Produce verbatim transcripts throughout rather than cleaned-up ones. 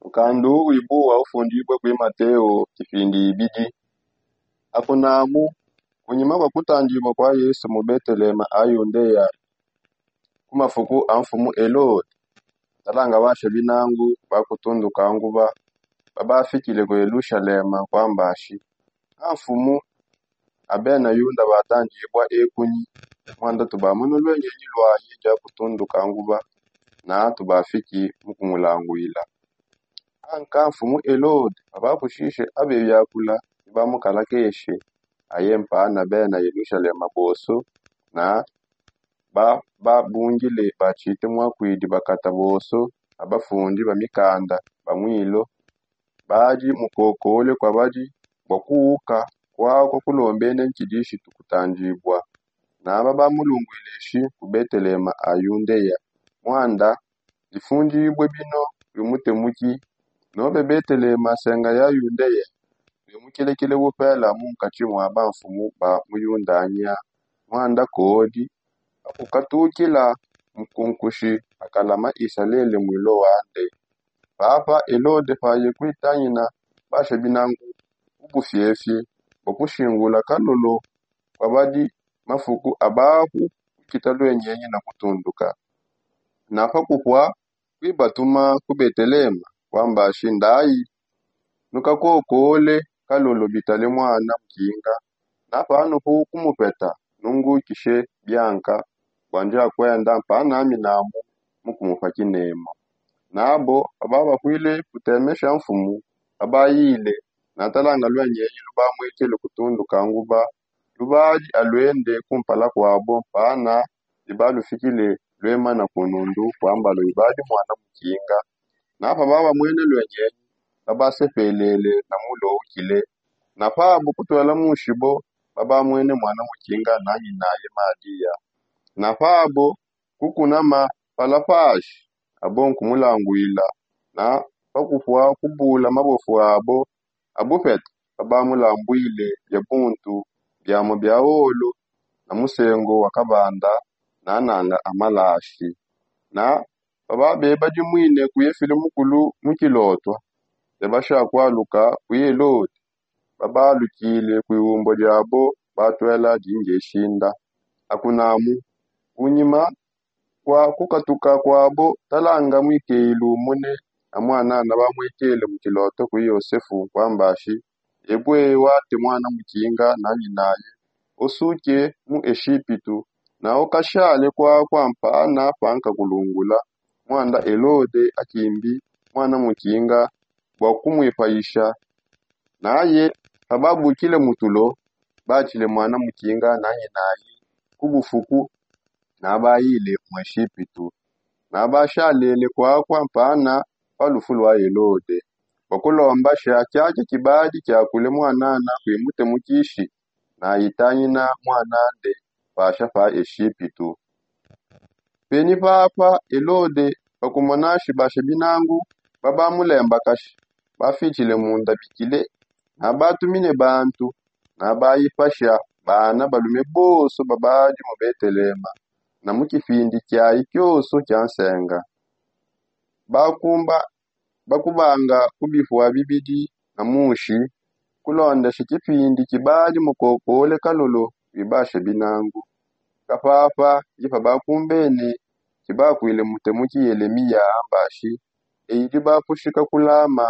Nkandu wibuwa ufundibue kui mateo kipindi ibidi. Akunamu, kunyima kua kutandibua kua yesu mu betelema a yundeya, ku mafuku a mfumu elode, talanga basha binangu ba kutunduka nguba babafikile ku yelushalema kuambashi. A mfumu a bena yuda batandibua ekunyi, muanda tubamona luengenyi luaye dia kutunduka nguba, na tubafiki mu kumulanguila. Anka mfumu elode babakushishe abe biakula bibamukalakeshe, aye mpana bena yelushalema bonso, na babungile batshite muakuidi bakata bonso, abafundi ba mikanda ba muilo, badi mukokole kua badi bua kuwuka kuaku kulombene ntshidishi tukutandibua. Naba bamulunguileshi ku betelema a yundeya, muanda difundibue bino bimutemuki. Nobe betelema nsenga ya yundeya, bimukelekele bupela munkatshi mua bamfumu ba mu yundanya, muanda kodi akukatukila mukunkushi akalama isalele muilo wande. Papa elode paye kuitangina basha binangu ku bufiefie bua kushingula kalolo kua badi mafuku abaku kukita luengenyi na kutunduka. Na pakupua kuibatuma ku betelema kuambashi ndayi, nukakokole kalolo bitale muana mukinga, na panupu kumupeta nungukishe bianka bua ndia kuenda mpanaminamu mu kumupa kinema. Nabo bababakuile kutemesha mfumu, babayile na talanga luengenyi lubamuikile kutunduka nguba, lubadi aluende kumpala kuabo mpana bibalufikile luemana ku nundu kua mbalo ibadi muana mukinga. Na pababamuene luengenyi, babasepelele na muloukile. Na pabo kutuela mushibo, babamuene muana mukinga na nyinaye madiya. Na pabo kukunama palapashi, abo nkumulanguila. Na pakupua kubula mabofu abo abupeta, babamulambuile bia buntu, biamu bia olo, na musengo wa kabanda, na nanga amalashi. Na pababeba dimuine kuye fili mukulu mu kilotwa, bebasha kualuka ku elode, babalukile ku iumbua diabo batuela dingeshinda. Akunamu, kunyima kua kukatuka kuabo, talanga muikeilu mune a muanana bamuikele mu kiloto ku yosefu kuambashi, ebue wate muana mukinga na nyinaye, osuke mu eshipitu, na okashale kuakua mpana pankakulungula, muanda elode akimbi muana mukinga bua kumuipayisha. Naye pababukile mu tulo, batshile muana mukinga na nyinaye ku bufuku, nabayile mu eshipitu. Nabashalele kuakua mpana pa lufu lua elode, bua kulombasha kiakia kibadi kiakule muanana kui mutemukishi, na itangina muanande pasha pa eshipitu. Penyi papa elode pakumonashi basha binangu babamulembakashi, bafitshile munda bikile, nabatumine bantu, nabayipasha bana balume bonso babadi mu betelema, na mu kipindi kiayi kionso kia nsenga. Bakumba bakubanga ku bipua bibidi na mushi, kulondeshi kipindi kibadi mukokole kalolo bibasha binangu. Kapapa ndi pabakumbene kibakuile mutemuki yelemiya ambashi, eyi dibapushika kulama,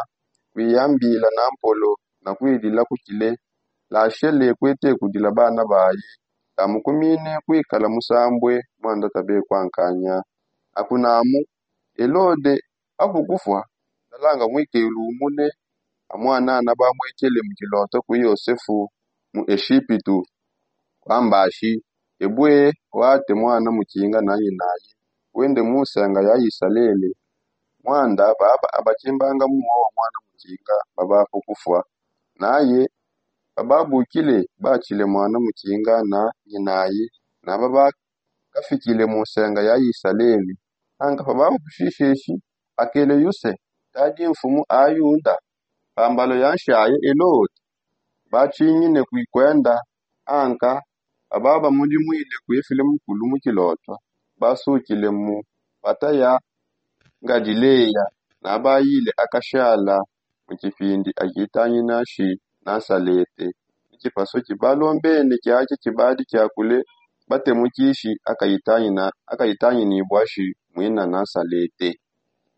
kuiyambila na mpolo na kuidila kukile, lashele kuete kudila bana bayi, tamukumine kuikala musambue muanda tabe kuankanya. Akunamu, elode apu kufua, talanga muikelu umune a muanana bamuikele mu kiloto ku yosefu mu eshipitu, kuambashi, ebue wate muana mukinga na nyinaye, wende mu nsenga ya isalele. Muanda baba abakimbanga muwa wa muana mukinga babapu kufua. Naye bababukile batshile muana mukinga na nyinaye, na babakafikile mu nsenga ya isalele. Anka pababakushisheshi, akeleyuse, tadi mfumu a yuda, pambalo ya nshaye elode, batshingine kui kuenda. Anka pababamudimwile kuifile mukulu mu kilotwa, basukile mu pata ya ngadileya. nabayile akashala mu tshipindi akitangina shi nasalete. Mu tshipasu tshibalombene kiatshi tshibadi kiakule batemukishi akayitanginibua shi muina nasalete.